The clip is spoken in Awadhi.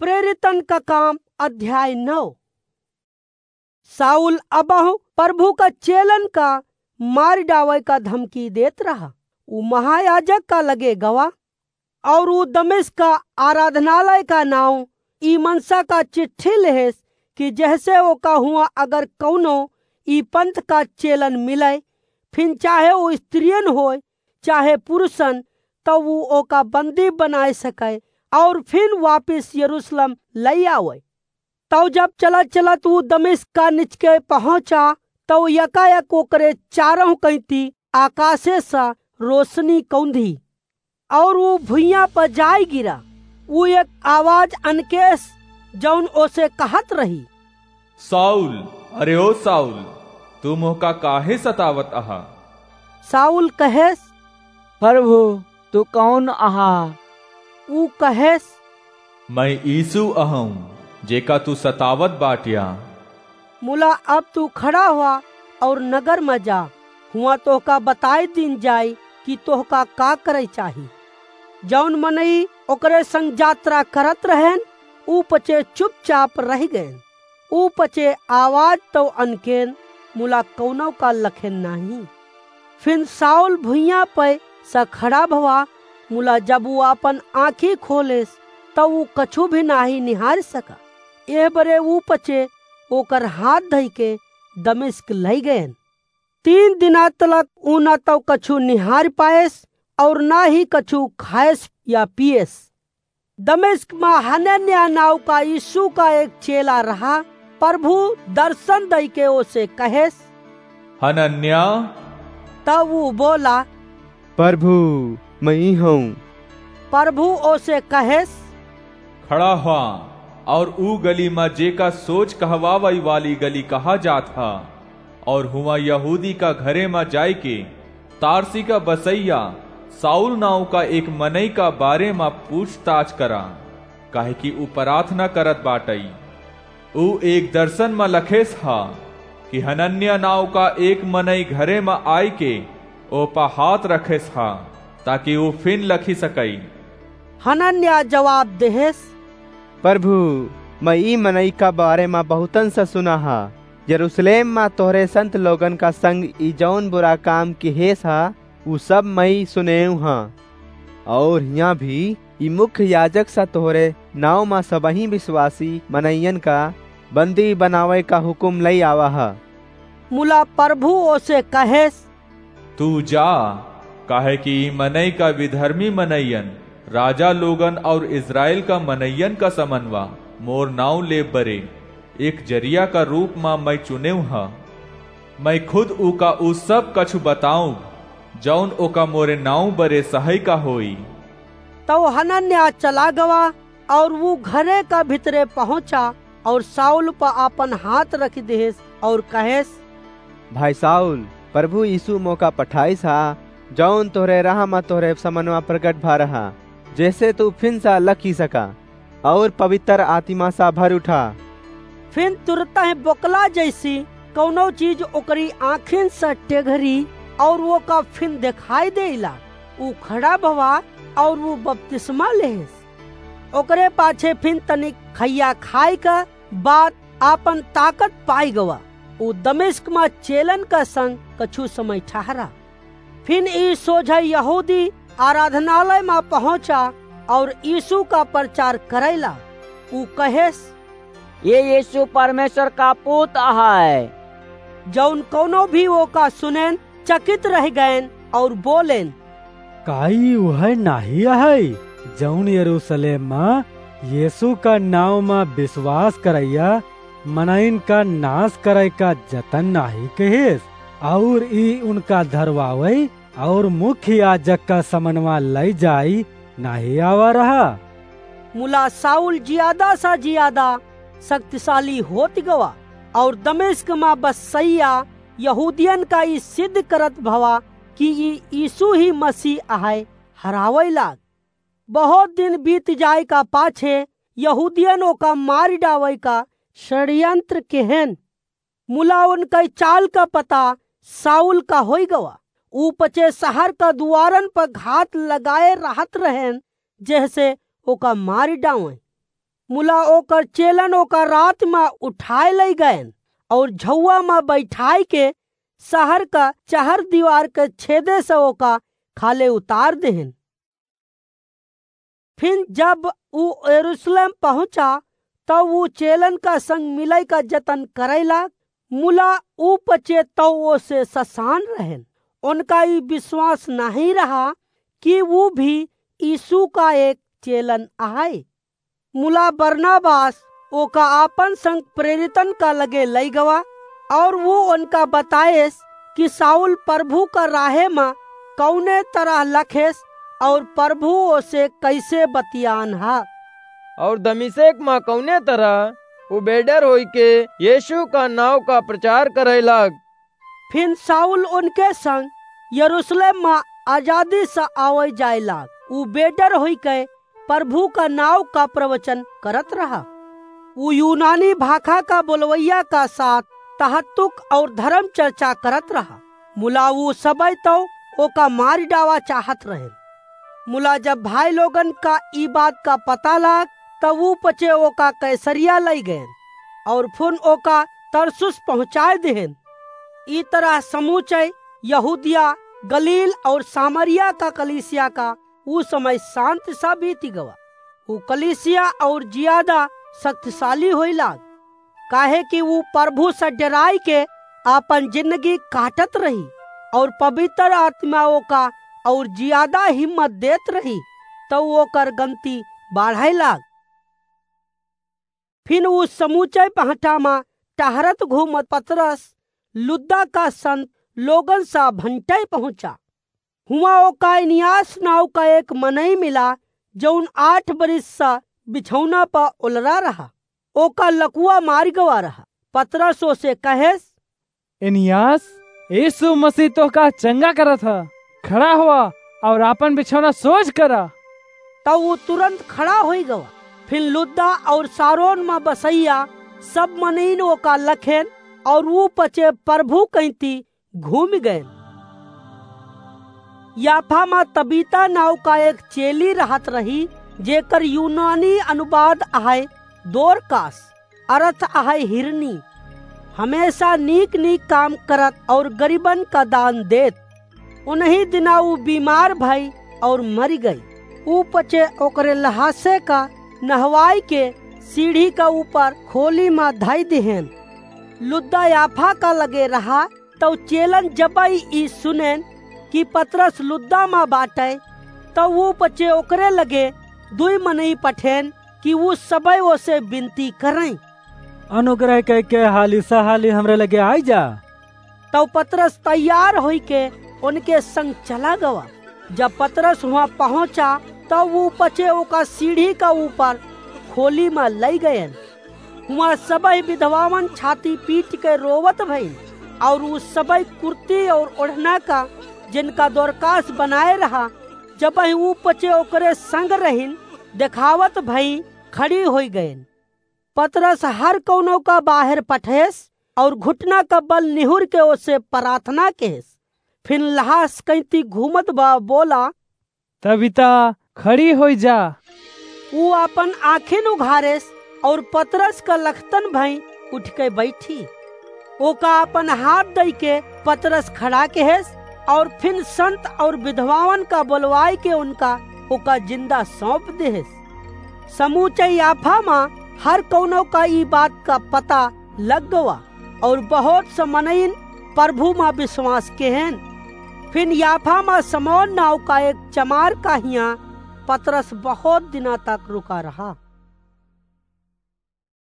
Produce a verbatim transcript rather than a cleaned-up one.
प्रेरितन का काम अध्याय नौ। साउल अबहु प्रभु का चेलन का मार डावै का धमकी देत रहा। उ महायाजक का लगे गवा और उ दमिश्क का आराधनालय का नाव ई मनसा का चिट्ठी लेहेस कि जहसे ओका हुआ अगर कौनो ई पंथ का चेलन मिलै, फिन चाहे उ स्त्रियन होय, चाहे पुरुषन, तब उ ओका बंदी बनाए सकै और फिन वापिस यरूशलेम लई आवै। तब जब चलत चलत उ दमिश्क का निचके पहुँचा, तब यकायक ओकरे चारों कैती आकाशे से रोशनी कौंधी और उ भुइयां पर जाय गिरा। उ एक आवाज अनकेस, जौन ओसे कहत रही, "साउल, अरे ओ साउल, तू मोहका काहे सतावत अहा?" साउल कहेस, "प्रभु, तू कौन अहा?" उ कहेस, "मैं यीशु अहूँ, जेका तू सतावत बाटिया।" मुला अब तू खड़ा हुआ और नगर में जा, हुआ तोहका बताई दीन जाई कि तोहका का करे चाही। जौन मनई ओकरे संग यात्रा करत रहेन, उ पचे चुपचाप रह गएन। उ पचे आवाज तो अनकेन, मुला कौनो का लखेन नाही। फिन साउल भुइयां पे स खड़ा भवा, मुला जब उ आपन आँखी खोलेस, तब उ कछु भी नाही निहार सका। एह बरे उ पचे ओकर हाथ धइ के दमिश्क लई गएन। तीन दिना तलक उ न तो कछु निहार पाएस और न ही कछु खाएस या पिएस। दमिश्क में हनन्याह नाव का यीशु का एक चेला रहा। प्रभु दर्शन दई के ओसे कहेस, "हनन्याह।" तब उ बोला, "प्रभु, मैं ई हूँ।" प्रभु ओसे कहेस, "खड़ा हुआ और ऊ गली में जेका सोच कहवावई वाली गली कहा जात ह, और हुआ यहूदी का घरे में जाय के तारसी का बसैया साउल नाव का एक मनई का बारे में पूछताछ करा, काहे कि ऊ प्रार्थना करत बाटई। ऊ एक दर्शन में लखेस हा कि हनन्याह नाव का एक मनई घरे में आय के ओपा हाथ रखेस हा, ताकि ऊ फिन लखी सकई।" हनन्याह जवाब देहेस, "प्रभु, मैं ई मनई का बारे में बहुतन से सुना हा। यरूशलेम में तोहरे संत लोगन का संग ई जौन बुरा काम किहेस हा, ऊ सब मैं सुनेउ हा। और हियाँ भी ई मुख्य याजक सा तोहरे नाव में सबही विश्वासी मनइयन का बंदी बनावे का हुकुम लई आवा हा।" मुला प्रभु ओसे कहेस, "तू जा, काहे कि ई मनई का विधर्मी मनइयन, राजा लोगन और इस्राएल का मनइयन का समनवा मोर नाव ले बरे एक जरिया का रूप में मैं चुनेउ हा। मैं खुद ऊका ऊ सब कछु बताउब, जौन ओका मोरे नाव बरे सहई का होई।" तब हनन्याह चला गवा और ऊ घरे का भीतरे पहुँचा और साउल पर आपन हाथ रख देहेस और कहेस, "भाई साउल, प्रभु यीशु मोका पठाइस हा, जौन तोहरे राह में तोहरे समनवा प्रगट भा रहा, जैसे तू फिन सा लखी सका और पवित्र आत्मा सा भर उठा।" फिन तुरतही बोकला जैसी कौनो चीज ओकरी आँखिन से टेघरी और ओका फिन देखाई देइला। ऊ खड़ा भवा और ऊ बपतिस्मा लेहेस। ओकरे पाछे फिन तनिक खइया खाए का बाद आपन ताकत पाई गवा। ऊ दमिश्क में चेलन का संग कछु समय ठहरा। फिन ई सोझा यहूदी आराधनालय में पहुँचा और यीशु का प्रचार करैला। ऊ कहेस, "ये यीशु परमेश्वर का पूत अहै।" जौन कौनो भी ओका सुनेन, चकित रह गएन और बोलेन, "का ई उहै नाहीं अहै, जौन यरूशलेम में यीशु का नाव में विश्वास करैया मनइन का नाश करै का जतन नाहीं किहिस, और ई उनका धरवावै और मुख्य याजक का समनवा लई जाई नाहीं आवा रहा?" मुला साउल जियादा सा जियादा शक्तिशाली होत गवा और दमिश्क में बसैया यहूदियन का ई सिद्ध करत भवा कि ई यीशु ही मसीह अहै, हरावै लाग। बहुत दिन बीत जाए का पाछे यहूदियन ओका मार डावै का षड्यंत्र केहेन। मुला उनकै चाल का पता साउल का होई गवा। ऊ पचे शहर का दुआरन पर घात लगाए रहत रहेन, जेहसे ओका मार डावैं। मुला ओकर चेलन ओका रात मा उठाए लइ गएन और झउआ मा बैठाइ के सहर का चहर दीवार के छेदे से ओका खाले उतार देहेन। फिन जब ऊ यरूशलेम पहुँचा, तब ऊ चेलन का संग मिलइ का जतन करइ लाग। मुला ऊ पचे तउ ओसे ससान रहेन। उनका ई विश्वास नाहीं रहा कि ऊ भी यीशु का एक चेलन अहइ। मुला बरनबास ओका आपन संग प्रेरितन का लगे लइ गवा और ऊ उनका बताएस कि साउल प्रभु का राहे मा कउने तरह लखेस और प्रभु ओसे कइसे बतियान हा। और दमिश्क मा कउने तरह ऊ बेडर होइके यीशु का नाव का प्रचार करइ लाग। फिन साउल उनके संग यरूशलेम मा आजादी से आवइ जाए लाग। ऊ बेडर होइके प्रभु का नाव का प्रवचन करत रहा। ऊ यूनानी भाखा का बोलवइया का साथ तहत्तुक और धर्म चर्चा करत रहा। मुला ऊ सबइ तउ ओका मारि डावा चाहत रहेन। मुला जब भाई लोगन का ई बात का पता लाग, तब ऊ पचे ओका कैसरिया लइ गएन और फिन ओका तरसुस पहुँचाए देहेन। ई तरह समूचे यहूदिया, गलील और सामरिया का कलीसिया का ऊ समय शांत सा बीति गवा। ऊ कलीसिया और जियादा शक्तिशाली होई लाग, काहे कि ऊ प्रभु से डराइ के आपन जिंदगी काटत रही और पवित्र आत्मा ओका और जियादा हिम्मत देत रही, तउ ओकर गनती बाढ़इ लाग। फिन ऊ समूचे पहटा मा टहरत घूमत पतरस लुद्दा का संत लोगन सा भंटे पहुँचा। हुआँ ओका एनियास नाव का एक मनई मिला, जउन आठ बरिस सा बिछौना प ओलरा रहा। ओका लकुआ मारि गवा रहा। पतरस ओसे कहेस, एनियास, यीशु मसीह तोहका चंगा करत ह। खड़ा होवा और आपन बिछौना सोझ करा। तब ऊ तुरंत खड़ा होई गवा। फिर लुद्दा और सारोन मा बसैया सब मनईन ओका लखेन और ऊ पचे प्रभु कइती घूमि गएन। याफा मा तबीता नाव का एक चेली रहत रही, जेकर यूनानी अनुवाद अहइ दोरकास, अरथ अहइ हिरनी। हमेसा नीक नीक काम करत और गरीबन का दान देत। उनही दिना ऊ बीमार भई और मरि गई। ऊ पचे ओकरे लहासे का नहवाइ के सीढ़ी का ऊपर खोली मा धइ दिहेन। लुद्दा याफा का लगे रहा, तउ चेलन जबइ ई सुनेन कि पतरस लुद्दा मा बाटइ, तउ ऊ पचे ओकरे लगे दुइ मनई पठेन कि ऊ सबइ ओसे बिनती करइँ, अनुग्रह कइके हाली सा हाली हमरे लगे आइ जा। तउ पतरस तैयार होइके उनके संग चला गवा। जब पतरस हुआँ पहुँचा, तब ऊ पचे ओका सीढ़ी का ऊपर खोली मा लइ गएन। हुआँ सबइ विधवावन छाती पीट के रोवत भइन, और ऊ सबइ कुर्ती और ओढ़ना का, जिनका दोरकास बनाए रहा, जबहि ऊ पचे ओकरे संग रहिन, देखावत भई खड़ी होइ गएन। पतरस हर कउनो का बाहेर पठेस और घुटना का बल निहुर के ओसे प्रार्थना केहेस। फिर लहास कइती घूमत बा बोला, तबीता, खड़ी होइ जा। ऊ आपन आँखिन उघारेस और पतरस का लखतन भई उठिके बइठी। ओका आपन हाथ दइके पतरस खड़ा केहेस और फिर संत और विधवावन का बोलवाइके उनका ओका जिंदा सौंप देहेस। समूचे याफा मा हर कउनो का ई बात का पता लग गवा और बहुत स मनइन प्रभु मा विश्वास केहेन। फिर याफा मा समौन नाव का एक चमार का हियाँ पतरस बहुत दिना तक रुका रहा।